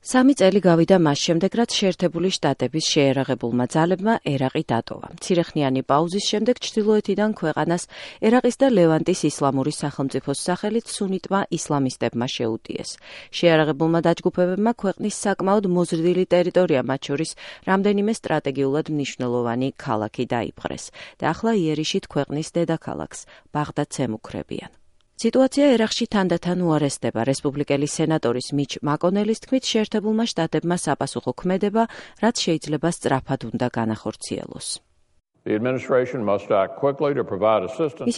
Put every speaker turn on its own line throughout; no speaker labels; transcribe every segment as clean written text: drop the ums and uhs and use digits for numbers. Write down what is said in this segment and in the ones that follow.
3 წელი გავიდა მას შემდეგ, რაც შეერთებული შტატების შეერაღებულმა ძალებმა ერაყი დატოვა. მცირეხნიანი პაუზის შემდეგ ჩრდილოეთიდან ქვეყანას ერაყის და ლევანტის ისლამური სახელმწიფოს სახელით სუნიტმა ისლამისტებმა შეუტიეს. შეერაღებულმა დაჯგუფებებმა ქვეყნის საკმაოდ მოზრდილი ტერიტორია, მათ შორის რამდენიმე სტრატეგიულად მნიშვნელოვანი ქალაქი დაიპყრეს და ახლა იერიში ქვეყნის დედაქალაქს ბაღდადს ემუქრებიან. სიტუაცია ერაყში თანდათან უარესდება. რესპუბლიკელი სენატორის მიჩ მაკონელის თქმით, შეერთებულმა შტატებმა საპასუხო ქმედება, რაც შეიძლება სწრაფად უნდა განახორციელოს. მისი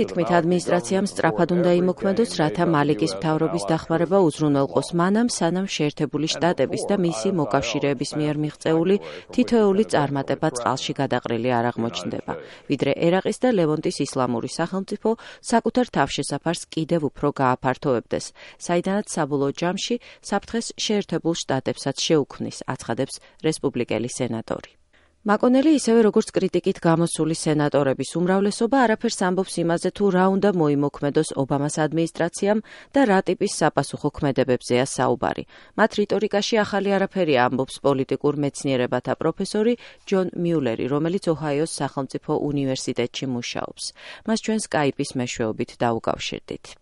თქმით, ადმინისტრაციამ სწრაფად უნდა იმოქმედოს, რათა მალიკის მთავრობის დახმარება უზრუნველყოს მანამ, სანამ შეერთებული შტატების და მისი მოკავშირეების მიერ მიღწეული თითოეული წარმატება წყალში გადაყრილი არ აღმოჩნდება, ვიდრე ერაყის და ლევანტის ისლამური სახელმწიფო საკუთარ თავშესაფარს კიდევ უფრო გააფართოვებდეს, საიდანაც საბოლოო ჯამში საფრთხეს შეერთებულ შტატებსაც შეუქმნის, აცხადებს რესპუბლიკელი სენატორი. მაკონელი ისევე როგორც კრიტიკით გამოსული სენატორების უმრავლესობა არაფერს ამბობს იმაზე, თუ რა უნდა მოიმოქმედოს ობამას ადმინისტრაციამ და რა ტიპის საპასუხო ქმედებებზეა საუბარი. მათ რიტორიკაში ახალი არაფერია, ამბობს პოლიტიკურ მეცნიერებათა პროფესორი ჯონ მიულერი, რომელიც ოჰაიოს სახელმწიფო უნივერსიტეტში მუშაობს. მას ჩვენ სკაიპის მეშვეობით დაუკავშირდით.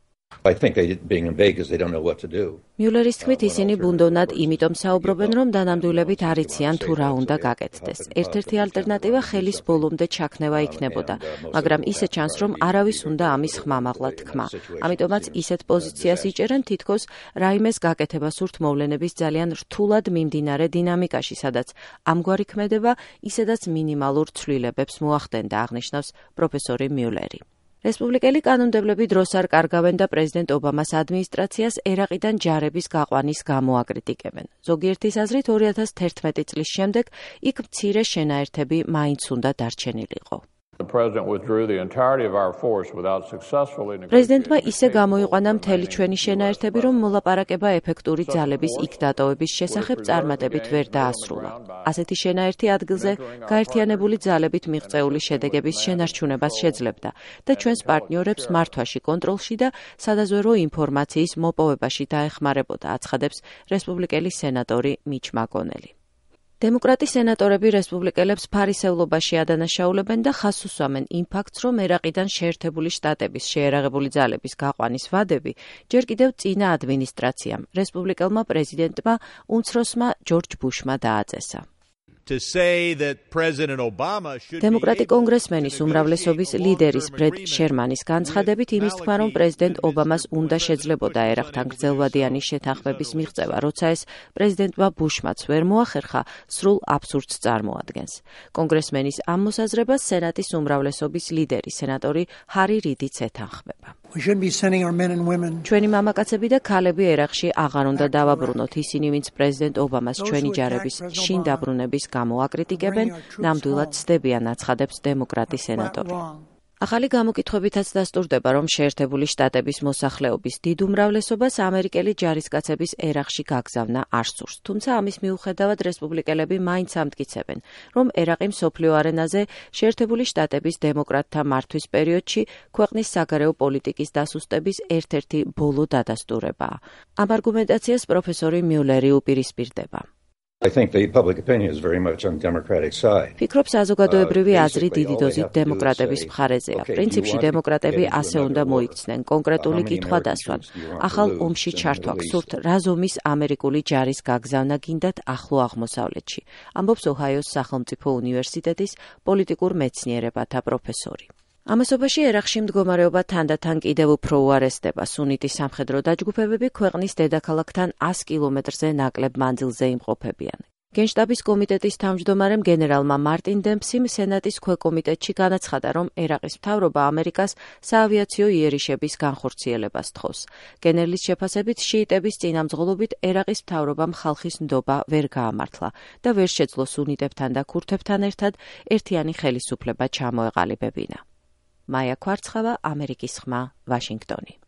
მიულერის თქმით, ისინი ბუნდოვნად იმიტომ საუბრობენ, რომ დანამდვილებით არ იციან თუ რა უნდა გაკეთდეს. ერთ-ერთი ალტერნატივა ხელის ბოლომდე ჩაქნევა იქნებოდა, მაგრამ ისე ჩანს, რომ არავის უნდა ამის ხმამაღლა თქმა. ამიტომაც ისეთ პოზიციას იჭერენ, თითქოს რაიმეს გაკეთება სურთ მოვლენების ძალიან რთულად მიმდინარე დინამიკაში, სადაც ამგვარი ქმედება ისედაც მინიმალურ ცვლილებებს მოახდენდა, აღნიშნავს პროფესორი მიულერი. რესპუბლიკელი კანონმდებლები დროს არ კარგავენ და პრეზიდენტ ობამას ადმინისტრაციას ერაყიდან ჯარების გაყვანის გამო აკრიტიკებენ. ზოგიერთის აზრით 2011 წლის შემდეგ იქ მცირე შენაერთები მაინც უნდა დარჩენილიყო. პრეზიდენტმა ისე გამოიყვანა მთელი ჩვენი შენაერთები, რომ მოლაპარაკება ეფექტური ძალების იქ დატოვების შესახებ წარმატებით ვერ დაასრულა. ასეთი შენაერთი ადგილზე გაერთიანებული ძალებით მიღწეული შედეგების შენარჩუნებას შეძლებდა და ჩვენს პარტნიორებს მართვაში, კონტროლში და სადაზვერვო ინფორმაციის მოპოვებაში დაეხმარებოდა, აცხადებს რესპუბლიკელი სენატორი მიჩ მაკონელი. დემოკრატი სენატორები რესპუბლიკელებს ფარისევლობაში ადანაშაულებენ და ხაზს უსვამენ იმ ფაქტს, რომ ერაყიდან შეერთებული შტატების შეერაღებული ძალების გაყვანის ვადები ჯერ კიდევ წინა ადმინისტრაციამ, რესპუბლიკელმა პრეზიდენტმა უმცროსმა ჯორჯ ბუშმა დააწესა. დემოკრატი კონგრესმენის უმრავლესობის ლიდერის ბრედ შერმანის განცხადებით იმის თქმა, რომ პრეზიდენტ ობამას უნდა შეძლებოდა ერაყთან გრძელვადიანი შეთანხმების მიღწევა, როცა ეს პრეზიდენტმა ბუშმაც ვერ მოახერხა, სრულ აბსურდს წარმოადგენს. კონგრესმენის ამ მოსაზრებას სენატის უმრავლესობის ლიდერი, სენატორი ჰარი რიდიც ეთანხმება. ჩვენი მამაკაცები და ქალები ერაყში აღარ უნდა დავაბრუნოთ, ისინი, ვინც პრეზიდენტ ობამას ჩვენი ჯარების შინ დაბრუნების გამო აკრიტიკებენ, ნამდვილად ცდებიან, აცხადებს დემოკრატი სენატორი. ახალი გამოკითხვებითაც დასტურდება, რომ შეერთებული შტატების მოსახლეობის დიდ უმრავლესობას ამერიკელი ჯარისკაცების ერაყში გაგზავნა არ სურს. თუმცა ამის მიუხედავად რესპუბლიკელები მაინც ამტკიცებენ, რომ ერაყი მსოფლიო არენაზე შეერთებული შტატების დემოკრატთა მართვის პერიოდში ქვეყნის საგარეო პოლიტიკის დასუსტების ერთ-ერთი ბოლო დადასტურებაა. ამ არგუმენტაციას პროფესორი მიულერი უპირისპირდება. ფიქრობ, საზოგადოებრივი აზრი დიდი დოზით დემოკრატების მხარეზეა. პრინციპში დემოკრატები ასე უნდა მოიქცნენ, კონკრეტული კითხვა დასვან. ახალ ომში ჩართვა გსურთ, რა ზომის ამერიკული ჯარის გაგზავნა გინდათ ახლო აღმოსავლეთში, ამბობს ოჰაიოს სახელმწიფო უნივერსიტეტის პოლიტიკურ მეცნიერებათა პროფესორი. ამასობაში ერაყში მდგომარეობა თანდათან კიდევ უფრო უარესდება. სუნიტი სამხედრო დაჯგუფებები ქვეყნის დედაქალაქთან 100 კილომეტრზე ნაკლებ მანძილზე იმყოფებიან. გენშტაბის კომიტეტის თავმჯდომარემ გენერალმა მარტინ დემპსიმ სენატის ქვეკომიტეტში განაცხადა, რომ ერაყის მთავრობა ამერიკას საავიაციო იერიშების განხორციელებას თხოვს. გენერლის შეფასებით, შიიტების წინამძღოლობით ერაყის მთავრობამ ხალხის ნდობა ვერ გაამართლა და ვერ შეძლო სუნიტებთან და ქურთებთან ერთად ერთიანი ხელისუფლება ჩამოეყალიბებინა. მაია ქვარცხავა, ამერიკის ხმა, ვაშინგტონი.